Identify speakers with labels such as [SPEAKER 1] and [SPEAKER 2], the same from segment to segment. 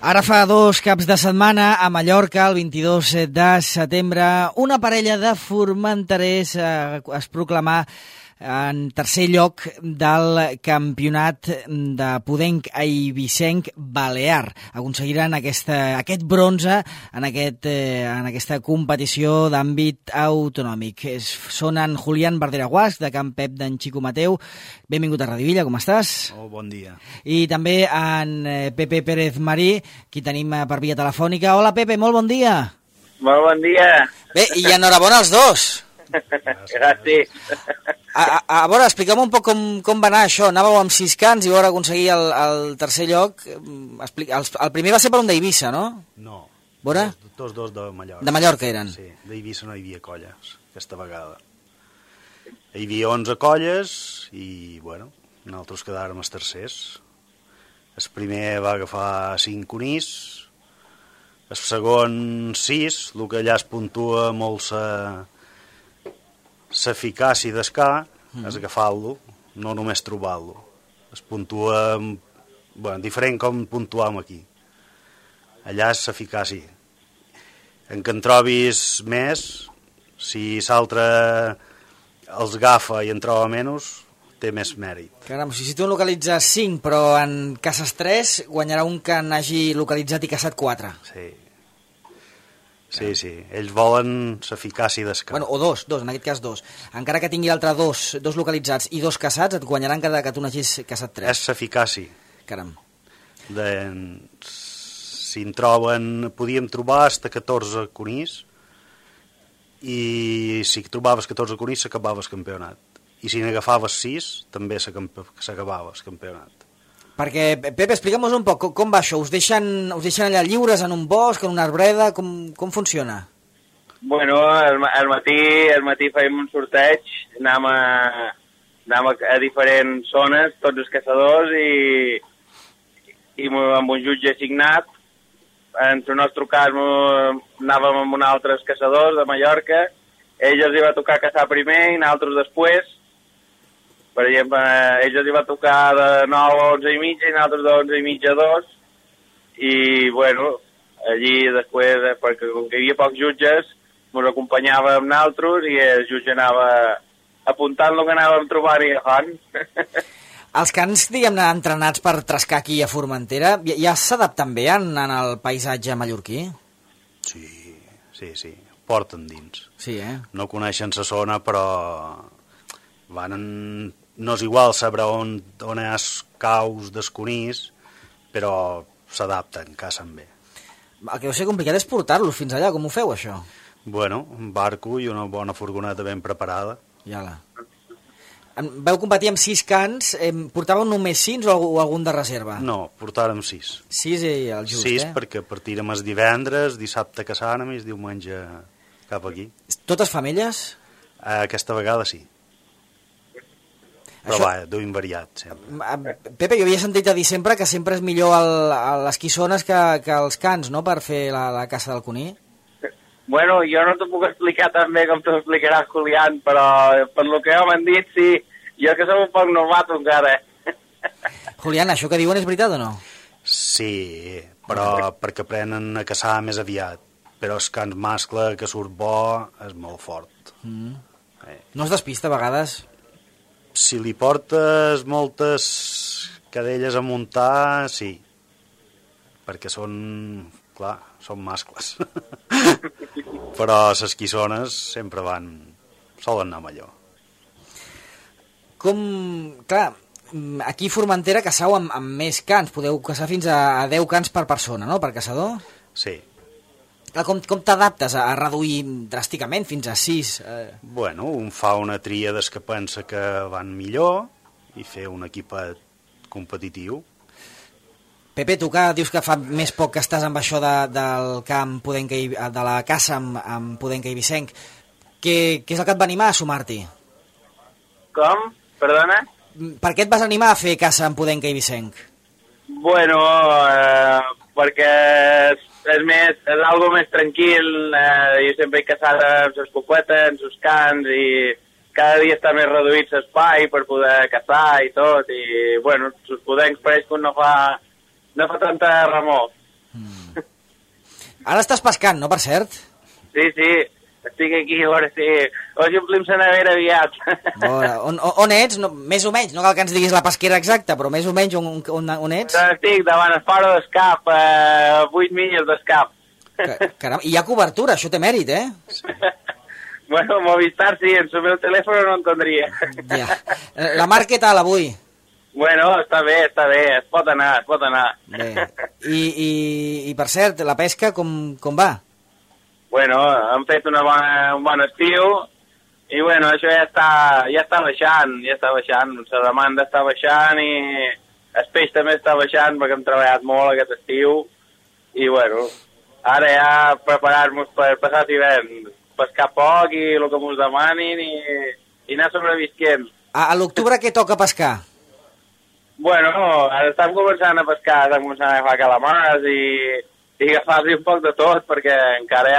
[SPEAKER 1] Ara fa 2 caps de setmana a Mallorca, el 22 de setembre, una parella de formenterers es proclamà en tercer lloc del campionat de Podenc Eivissenc Balear. Aconseguiran aquest bronze en aquesta competició d'àmbit autonòmic. Són en Julián Bardera-Guasch, de Can Pep d'en Xico Mateu. Benvingut a Radio Villa, com estàs?
[SPEAKER 2] Oh, bon dia.
[SPEAKER 1] I també en Pepe Pérez Marí, qui tenim per via telefònica. Hola, Pepe, molt bon dia.
[SPEAKER 3] Molt bon dia.
[SPEAKER 1] Bé, i enhorabona als dos.
[SPEAKER 3] Gràcies.
[SPEAKER 1] A veure, explica'm un poc com va anar això. Anàveu amb 6 cants i vau aconseguir el tercer lloc. El primer va ser per un d'Eivissa, no?
[SPEAKER 2] No,
[SPEAKER 1] Veure?
[SPEAKER 2] tots dos de Mallorca.
[SPEAKER 1] De Mallorca eren?
[SPEAKER 2] Sí, d'Eivissa no hi havia colles, aquesta vegada. Hi havia 11 colles i, bueno, nosaltres quedàrem els tercers. El primer va agafar 5 conills, el segon 6, el que allà es puntua molt l'eficàcia d'escar és agafar-lo, no només trobar-lo. Es puntua, bueno, diferent com puntuam aquí. Allà és l'eficàcia. En que en trobis més, si l'altre els agafa i en troba menys, té més mèrit.
[SPEAKER 1] Caram, si tu en localitzes 5, però en caces 3, guanyarà un que n'hagi localitzat i caçat 4.
[SPEAKER 2] Sí. Sí. Ells volen l'eficàcia d'escar.
[SPEAKER 1] Bueno, o 2, en aquest cas 2. Encara que tingui l'altre 2 localitzats i 2 caçats, et guanyaran cada que tu n'hagis caçat 3.
[SPEAKER 2] És l'eficàcia.
[SPEAKER 1] Caram.
[SPEAKER 2] Si en troben, podíem trobar fins a 14 conills, i si trobaves 14 conills s'acabaves el campionat. I si n'agafaves 6, també s'acabava el campionat.
[SPEAKER 1] Perquè, Pepe, explica'm un poc, com va això? Us deixen allà lliures en un bosc, en una arbreda? Com funciona?
[SPEAKER 3] Bueno, al matí fèiem un sorteig, anàvem a diferents zones, tots els caçadors, i amb un jutge assignat. En el nostre cas anàvem amb uns altres caçadors de Mallorca, ells els hi va tocar caçar primer i nosaltres després. Per exemple, ells els hi va tocar de 9 a 11 i mitja i nosaltres de 11 i mitja a 2. I, bueno, allí després, perquè com que hi havia pocs jutges, ens acompanyava amb nosaltres i el jutge anava apuntant el que anàvem trobant i agafant.
[SPEAKER 1] Els cans, diguem-ne, entrenats per trescar aquí a Formentera, ja s'adapten bé en el paisatge mallorquí?
[SPEAKER 2] Sí. Porten dins.
[SPEAKER 1] Sí,
[SPEAKER 2] No coneixen la zona, però no és igual saber on hi ha caus d'esconís, però s'adapten, cacen bé.
[SPEAKER 1] El que deu ser complicat és portar-los fins allà. Com ho feu, això?
[SPEAKER 2] Bueno, un barco i una bona furgoneta ben preparada.
[SPEAKER 1] Veu competir amb 6 cans, portàveu només 6 o algun de reserva?
[SPEAKER 2] No, portàrem 6.
[SPEAKER 1] 6 i el just,
[SPEAKER 2] 6 perquè partirem els divendres, dissabte caçàrem i el diumenge cap aquí.
[SPEAKER 1] Totes femelles?
[SPEAKER 2] Aquesta vegada sí. Però duim variat, sempre.
[SPEAKER 1] Pepe, jo havia sentit a dir sempre que sempre és millor les quissones que els cans, no?, per fer la caça del coní.
[SPEAKER 3] Bueno, jo no t'ho puc explicar tan bé com t'ho explicarà Julián, però per lo que m'han dit, sí, jo que som un poc novato encara.
[SPEAKER 1] Julián, això que diuen és veritat o no?
[SPEAKER 2] Sí, però perquè aprenen a caçar més aviat. Però el cans mascle que surt bo és molt fort.
[SPEAKER 1] No es despista a vegades?
[SPEAKER 2] Si li portes moltes cadelles a muntar, sí. Perquè són mascles. Però les quissones sempre solen anar millor.
[SPEAKER 1] Clar, aquí a Formentera caçau amb més cans. Podeu caçar fins a 10 cans per persona, no?, per caçador?
[SPEAKER 2] Sí.
[SPEAKER 1] Com t'adaptes a reduir dràsticament fins a 6?
[SPEAKER 2] Bueno, un fa una tria des que pensa que van millor i fer un equipet competitiu.
[SPEAKER 1] Pepe, tu que dius que fa més poc que estàs amb això del camp de la caça amb Podenc Eivissenc, què és el que et va animar a sumar-t'hi?
[SPEAKER 3] Com? Perdona?
[SPEAKER 1] Per què et vas animar a fer caça amb Podenc Eivissenc?
[SPEAKER 3] Bueno, perquè és algo més tranquil. Jo sempre he caçat amb les coquetes, amb els cans, i cada dia està més reduït l'espai per poder caçar i tot, i bueno, els podencs pareix que no fa tanta remor.
[SPEAKER 1] Ara estàs pescant, no, per cert?
[SPEAKER 3] Sí, estic aquí, a veure si... Hoy omplim la nevera aviat.
[SPEAKER 1] On ets? No, més o menys, no cal que ens diguis la pesquera exacta, però més o menys on ets?
[SPEAKER 3] Estic davant el faro d'escap, 8 milles d'escap.
[SPEAKER 1] Caram, i hi ha cobertura, això té mèrit, eh?
[SPEAKER 3] Bueno, Movistar sí, en el meu telèfon no entendria.
[SPEAKER 1] Ja. La mar què tal avui?
[SPEAKER 3] Bueno, està bé, es pot anar.
[SPEAKER 1] Bé. I per cert, la pesca com va?
[SPEAKER 3] Bueno, hem fet un bon estiu i bueno, això ja està baixant, la demanda està baixant i el peix també està baixant perquè hem treballat molt aquest estiu i bueno, ara ja preparar-nos per passar l'hivern, pescar poc i el que ens demanin i anar sobrevisquent.
[SPEAKER 1] A l'octubre què toca pescar?
[SPEAKER 3] Bueno, ara estem començant a pescar, estem començant a agafar calamars i agafar-li un poc de tot, perquè encara hi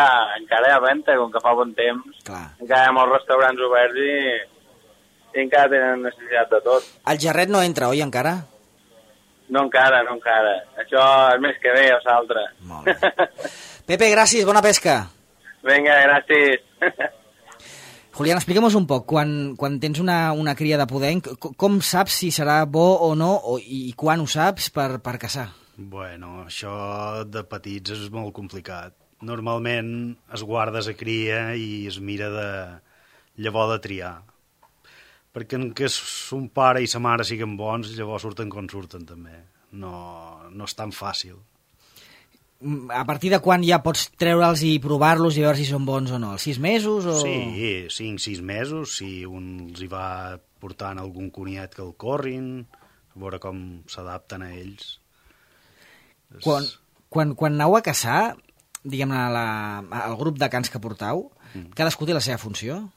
[SPEAKER 3] ha venta, com que fa bon temps.
[SPEAKER 1] Clar.
[SPEAKER 3] Encara hi ha molts restaurants oberts i encara tenen necessitat de tot.
[SPEAKER 1] El gerret no entra, oi, encara?
[SPEAKER 3] No encara. Això és més que bé, o l'altre.
[SPEAKER 1] Molt bé. Pepe, gràcies, bona pesca.
[SPEAKER 3] Vinga, gràcies.
[SPEAKER 1] Julián, explica'm un poc, quan tens una cria de pudenc, com saps si serà bo o no, i quan ho saps per caçar?
[SPEAKER 2] Bueno, això de petits és molt complicat. Normalment es guarda la cria i es mira de llavors de triar. Perquè en què son pare i sa mare siguen bons, llavors surten com surten també. No és tan fàcil.
[SPEAKER 1] A partir de quan ja pots treure'ls i provar-los i veure si són bons o no? Els 6 mesos? O...
[SPEAKER 2] Sí, 5-6 mesos, si un els hi va portant algun coniat que el corrin, a veure com s'adapten a ells.
[SPEAKER 1] Quan aneu a caçar, diguem-ne, al grup de cans que portau, cadascú té la seva funció?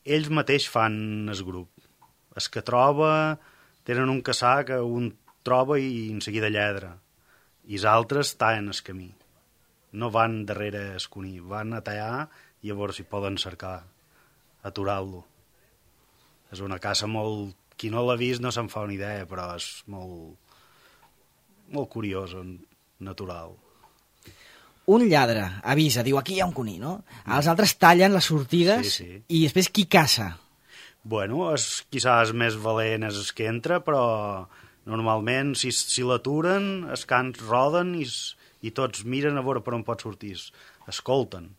[SPEAKER 2] Ells mateix fan el grup. Els que troba tenen un caçar que un troba i en seguida lladra. I els altres tallen el camí. No van darrere el coní, van a tallar i a veure si poden cercar, aturar-lo. És una caça molt... Qui no l'ha vist no se'n fa una idea, però és molt curiós, natural.
[SPEAKER 1] Un lladre avisa, diu, aquí hi ha un coní, no? Els altres tallen les sortides
[SPEAKER 2] sí.
[SPEAKER 1] I després qui caça?
[SPEAKER 2] Bueno, quizás més valent és el que entra, però normalment si l'aturen, els cans roden i tots miren a veure per on pot sortir. Escolten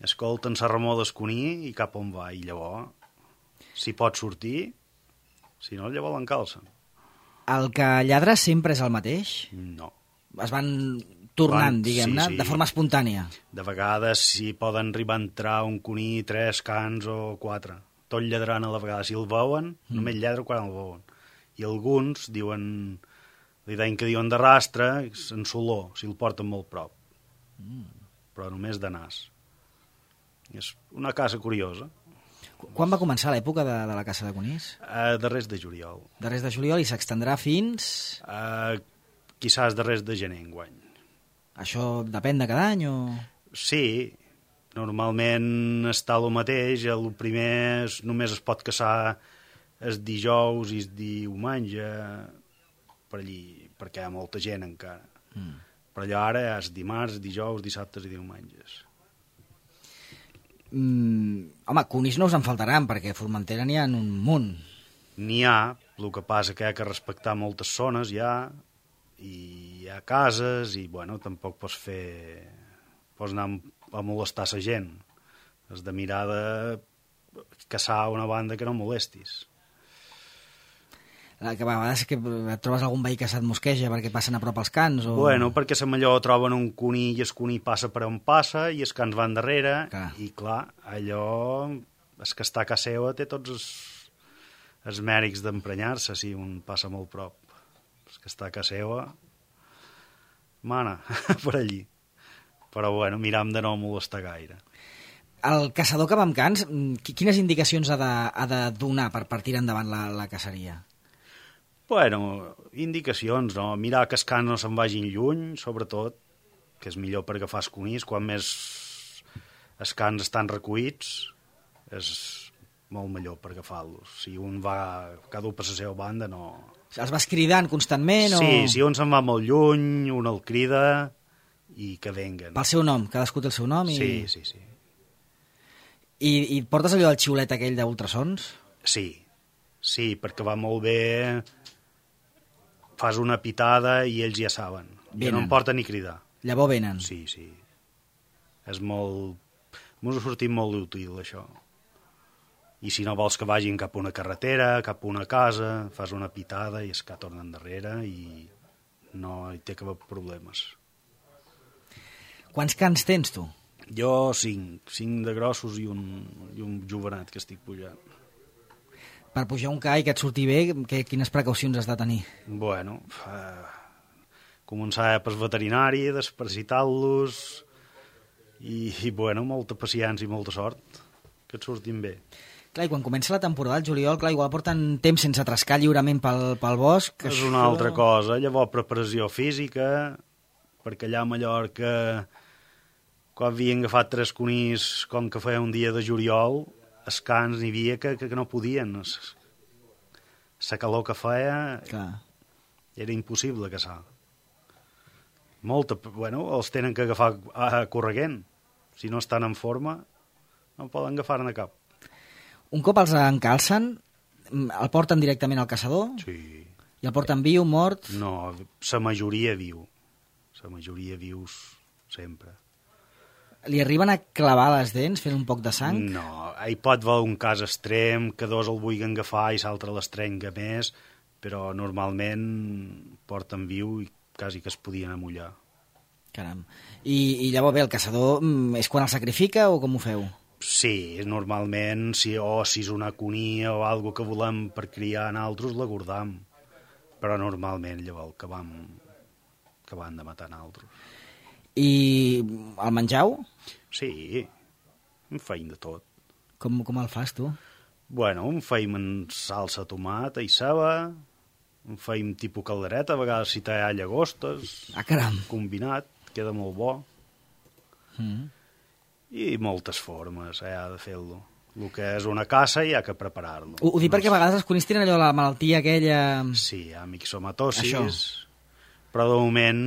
[SPEAKER 2] la remor del coní i cap on va, i llavors, si pot sortir, si no, llavors l'encalcen.
[SPEAKER 1] El que lladra sempre és el mateix?
[SPEAKER 2] No.
[SPEAKER 1] Es van tornant, diguem-ne,
[SPEAKER 2] sí.
[SPEAKER 1] de forma espontània?
[SPEAKER 2] De vegades si poden arribar a entrar un coní, 3 cans o 4, tot lladrant a la vegada. Si el veuen, només lladra quan el veuen. I alguns diuen, li deien que diuen de rastre, en soló, si el porten molt prop. Però només de nas. És una caça curiosa.
[SPEAKER 1] Quan va començar l'època de la caça de conills?
[SPEAKER 2] Darrers de juliol.
[SPEAKER 1] Darrers de juliol, i s'extendrà fins...
[SPEAKER 2] Quizás darrers de gener enguany.
[SPEAKER 1] Això depèn de cada any o...?
[SPEAKER 2] Sí, normalment està el mateix. El primer només es pot caçar el dijous i el diumenge, per allí, perquè hi ha molta gent encara. Però allò ara és dimarts, dijous, dissabtes i diumenges.
[SPEAKER 1] Home, conills no us en faltaran, perquè a Formentera n'hi ha un munt.
[SPEAKER 2] N'hi ha, el que passa que hi ha que respectar moltes zones ja, i hi ha cases, i bueno, tampoc pots anar a molestar la gent. Has de mirar de caçar una banda que no molestis.
[SPEAKER 1] Que a vegades que et trobes algun veí que se't mosqueja perquè passen a prop els cans o...
[SPEAKER 2] Bueno, perquè la millor troben un cuní i el cuní passa per on passa i els cans van darrere.
[SPEAKER 1] Clar.
[SPEAKER 2] I clar, allò el que està a casa seva té tots els mèrits d'emprenyar-se si un passa molt prop. El que està a casa seva mana per allí. Però bueno, miram de no molestar gaire.
[SPEAKER 1] El caçador que va amb cans, quines indicacions ha de donar per tirar endavant la caceria?
[SPEAKER 2] Bueno, indicacions, no? Mirar que els cans no se'n vagin lluny, sobretot, que és millor per agafar els conills. Quan més els cans estan recollits, és molt millor per agafar-los. Si un va cada un per la seva banda, no...
[SPEAKER 1] Els vas cridant constantment o...?
[SPEAKER 2] Sí, si un se'n va molt lluny, un el crida i que venguen.
[SPEAKER 1] Pel seu nom, cadascú té el seu nom.
[SPEAKER 2] Sí.
[SPEAKER 1] I portes allò del xiulet aquell d'ultrasons?
[SPEAKER 2] Sí, perquè va molt bé, fas una pitada i ells ja saben. Ja no em porta ni cridar.
[SPEAKER 1] Llavors venen.
[SPEAKER 2] Sí. És molt... M'ho ha sortit molt útil, això. I si no vols que vagin cap a una carretera, cap a una casa, fas una pitada i és que tornen darrere i no hi té cap problemes.
[SPEAKER 1] Quants cans tens, tu?
[SPEAKER 2] Jo 5 de grossos i un jovenet que estic pujant.
[SPEAKER 1] Per pujar un ca i que et surti bé, quines precaucions has de tenir?
[SPEAKER 2] Bueno, començar pel veterinari, desparasitar-los i molta paciència i molta sort, que et surtin bé.
[SPEAKER 1] Clar, i quan comença la temporada, el juliol, clar, igual porten temps sense trascar lliurement pel bosc.
[SPEAKER 2] És una altra cosa. Llavors, preparació física, perquè allà a Mallorca, quan havien agafat 3 conills, com que feia un dia de juliol, els cans n'hi havia que no podien. La calor que feia era impossible caçar. Els tenen que agafar correguent. Si no estan en forma, no poden agafar-ne cap.
[SPEAKER 1] Un cop els encalcen, el porten directament al caçador?
[SPEAKER 2] Sí.
[SPEAKER 1] I el porten viu, mort?
[SPEAKER 2] No, la majoria viu. La majoria vius sempre.
[SPEAKER 1] Li arriben a clavar les dents fent un poc de sang?
[SPEAKER 2] No, hi pot haver un cas extrem, que dos el vulguin agafar i l'altre l'estrenga més, però normalment porten viu i quasi que es podien amollar.
[SPEAKER 1] Caram. I llavors bé, el caçador és quan el sacrifica o com ho feu?
[SPEAKER 2] Sí, normalment, si és una conia o alguna que volem per criar en altres, la guardam. Però normalment llavors que van de matar en altres.
[SPEAKER 1] I el menjau?
[SPEAKER 2] Sí, en feim de tot.
[SPEAKER 1] Com el fas, tu?
[SPEAKER 2] Bueno, en feim en salsa, tomata i ceba, en feim tipus caldereta, a vegades si té llagostes.
[SPEAKER 1] Caram!
[SPEAKER 2] Combinat, queda molt bo. I moltes formes ha de fer-lo. El que és una caça hi ha que preparar-lo.
[SPEAKER 1] Ho dic perquè a vegades els conills tenen allò la malaltia aquella...
[SPEAKER 2] Sí, hi ha mixomatosis, però de moment...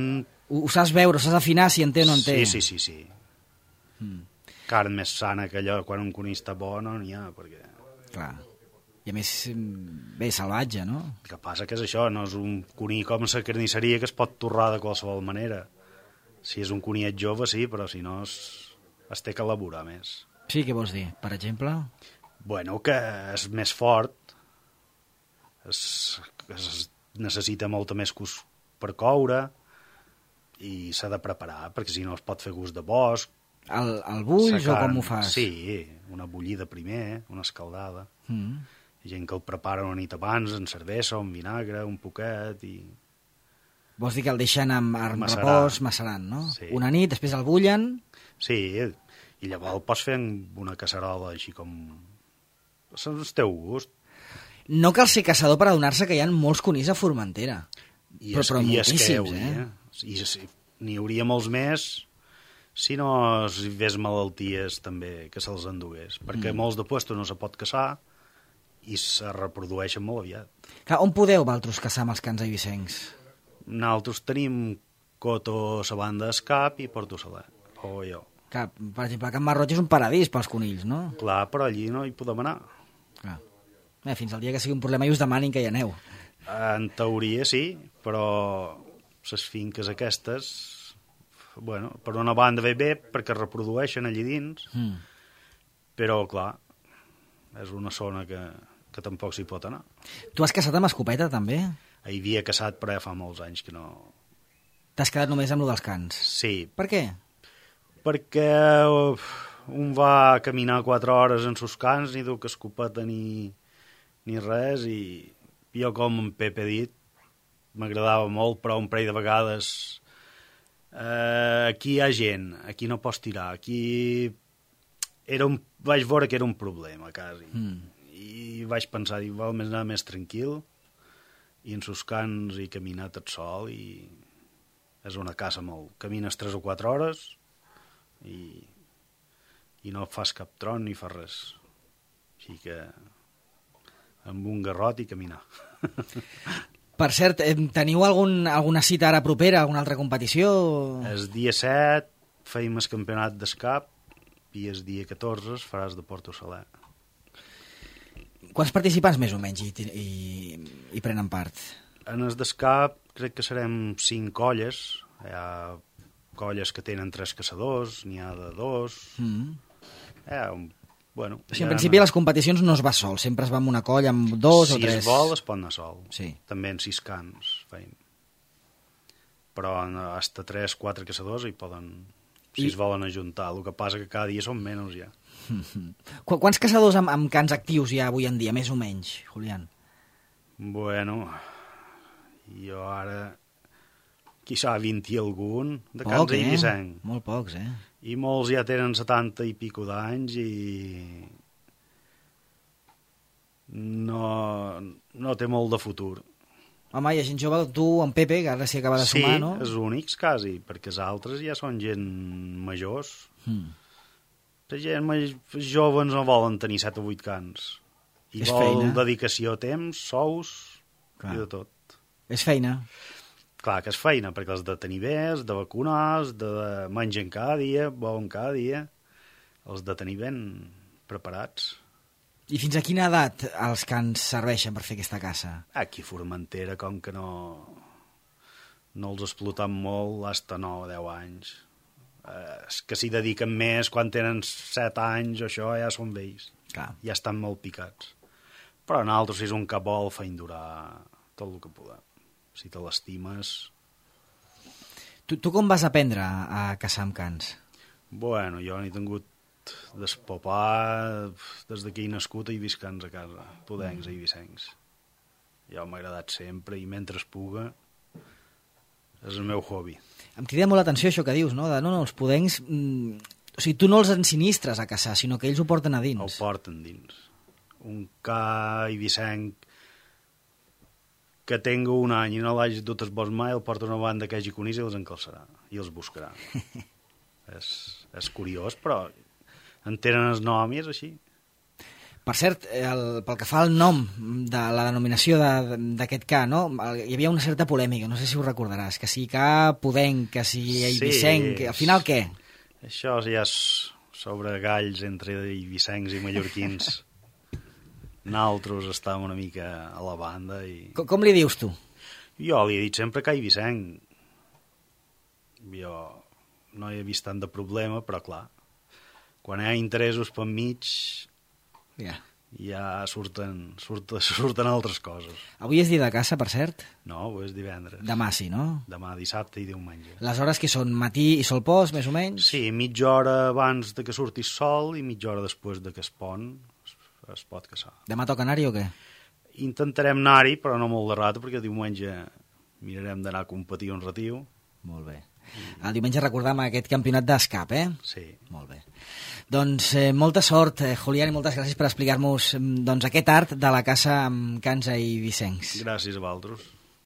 [SPEAKER 1] Ho saps veure, ho saps afinar si en té o no en té.
[SPEAKER 2] Sí. Carn més sana que allò, quan un conill està bo no n'hi ha, perquè...
[SPEAKER 1] Clar. I a més, bé, salvatge, no?
[SPEAKER 2] El que passa que és això, no és un conill com la carnisseria que es pot torrar de qualsevol manera. Si és un conillet jove, sí, però si no es té que elaborar més.
[SPEAKER 1] Sí, què vols dir? Per exemple?
[SPEAKER 2] Bueno, que és més fort, es necessita molta més cus per coure i s'ha de preparar, perquè si no es pot fer gust de bosc.
[SPEAKER 1] El bulls o com ho fas?
[SPEAKER 2] Sí, una bullida primer, una escaldada. Hi ha gent que el prepara una nit abans, en cervesa, un vinagre, un poquet i...
[SPEAKER 1] Vols dir que el deixen amb repòs macerant, no?
[SPEAKER 2] Sí.
[SPEAKER 1] Una nit, després el bullen...
[SPEAKER 2] Sí, i llavors el pots fer amb una casserola així com... És el teu gust.
[SPEAKER 1] No cal ser caçador per adonar-se que hi ha molts conills a Formentera. Però moltíssims,
[SPEAKER 2] I n'hi hauria molts més si no hi hagués malalties també que se'ls endugués. Perquè molts de puestos no se pot caçar i se reprodueixen molt aviat.
[SPEAKER 1] Clar, on podeu vosaltres caçar amb els cans eivissencs?
[SPEAKER 2] Nosaltres tenim Coto, la banda d'Escap i Porto Saler, o jo.
[SPEAKER 1] Clar, per exemple, Can Marroig és un paradís pels conills, no?
[SPEAKER 2] Clar, però allí no hi podem anar.
[SPEAKER 1] Clar. Fins al dia que sigui un problema i us demanin que hi aneu.
[SPEAKER 2] En teoria sí, però les finques aquestes, bueno, per una banda bé perquè reprodueixen allí dins, però clar, és una zona que tampoc s'hi pot anar.
[SPEAKER 1] Tu has caçat amb escopeta també?
[SPEAKER 2] Hi havia caçat, però ja fa molts anys que no...
[SPEAKER 1] T'has quedat només amb lo dels cans?
[SPEAKER 2] Sí.
[SPEAKER 1] Per què?
[SPEAKER 2] Perquè un va caminar 4 hores en sus cans, ni duc escopeta ni res, i jo, com en Pep he dit, m'agradava molt, però un parell de vegades aquí hi ha gent, aquí no pots tirar, aquí vaig veure que era un problema, quasi. I vaig pensar, val més anar més tranquil, i en sus cans i caminar tot sol, i és una caça molt... Camines 3 o 4 hores i no fas cap tron ni fas res. Així que amb un garrot i caminar.
[SPEAKER 1] Per cert, teniu alguna cita ara propera, alguna altra competició?
[SPEAKER 2] El dia 7 feim el campionat d'escap i el dia 14 es faràs de Porto Saler.
[SPEAKER 1] Quants participants més o menys hi prenen part?
[SPEAKER 2] En el d'escap crec que serem 5 colles. Hi ha colles que tenen 3 caçadors, n'hi ha de 2. Bueno,
[SPEAKER 1] o sigui, en principi les competicions no es va sol, sempre es va amb una colla, amb 2 o 3.
[SPEAKER 2] Si es vol es pot anar sol.
[SPEAKER 1] Sí.
[SPEAKER 2] També en 6 cans feim. Però hasta 3-4 caçadors hi poden, si es volen ajuntar. El que passa que cada dia són menys ja.
[SPEAKER 1] Quants caçadors amb cans actius hi ha avui en dia, més o menys, Julián?
[SPEAKER 2] Bueno, jo ara quizà 20 i algun de cans i Vicenc.
[SPEAKER 1] Molt pocs,
[SPEAKER 2] I molts ja tenen 70 i pico d'anys i no té molt de futur.
[SPEAKER 1] Home, hi ha gent jove, tu, en Pepe, que ara s'hi acaba de sumar, no?
[SPEAKER 2] Sí, els únics, quasi, perquè els altres ja són gent majors. La gent joves no volen tenir 7 o 8 cans. I vol dedicació, temps, sous i de tot.
[SPEAKER 1] És feina.
[SPEAKER 2] Clar que és feina, perquè els de tenir bé, els de vacunar, els de mengen cada dia, beuen cada dia, els de tenir ben preparats.
[SPEAKER 1] I fins a quina edat els cans serveixen per fer aquesta caça?
[SPEAKER 2] Aquí a Formentera, com que no els exploten molt, fins a 9 o 10 anys. Que s'hi dediquen més quan tenen 7 anys o això, ja són vells.
[SPEAKER 1] Clar.
[SPEAKER 2] Ja estan molt picats. Però nosaltres, si és un que vol, feim durar tot el que podem. Si te l'estimes...
[SPEAKER 1] Tu com vas aprendre a caçar amb cans?
[SPEAKER 2] Bueno, jo n'he tingut d'espopar des que he nascut i vist cans a casa, podencs i vicencs. Jo m'ha agradat sempre i mentre es puga és el meu hobby.
[SPEAKER 1] Em crida molt l'atenció això que dius, no? Els podencs... O sigui, tu no els ensinistres a caçar, sinó que ells ho porten a dins.
[SPEAKER 2] Ho porten dins. Un ca i vicenc que tingui un any i no l'hagi dut el bosc mai, el porta una banda que hagi conís i els encalçarà i els buscarà. és curiós, però en tenen el nom i és així.
[SPEAKER 1] Per cert, pel que fa al nom de la denominació d'aquest ca, no? Hi havia una certa polèmica, no sé si ho recordaràs, que si ca podenc, que si eivissenc, al final què?
[SPEAKER 2] Això ja és sobre galls entre eivissencs i mallorquins. Nosaltres estàvem una mica a la banda i...
[SPEAKER 1] Com li dius tu?
[SPEAKER 2] Jo li he dit sempre que Eivissenc. Jo no he vist tant de problema, però clar, quan hi ha interessos per mig, ja surten altres coses.
[SPEAKER 1] Avui és dia de caça, per cert?
[SPEAKER 2] No, avui és divendres.
[SPEAKER 1] Demà sí, no?
[SPEAKER 2] Demà, dissabte i diumenge.
[SPEAKER 1] Les hores que són matí i sol pos, més o menys?
[SPEAKER 2] Sí, mitja hora abans de que surti sol i mitja hora després de que es pon es pot caçar.
[SPEAKER 1] Demà toca anar-hi o què?
[SPEAKER 2] Intentarem anar-hi, però no molt de rato, perquè diumenge mirarem d'anar a competir un ratiu.
[SPEAKER 1] Molt bé. El diumenge recordam aquest campionat d'escap,
[SPEAKER 2] Sí.
[SPEAKER 1] Molt bé. Doncs molta sort, Julián, i moltes gràcies per explicar-nos aquest art de la caça amb cans i vicencs.
[SPEAKER 2] Gràcies a vosaltres.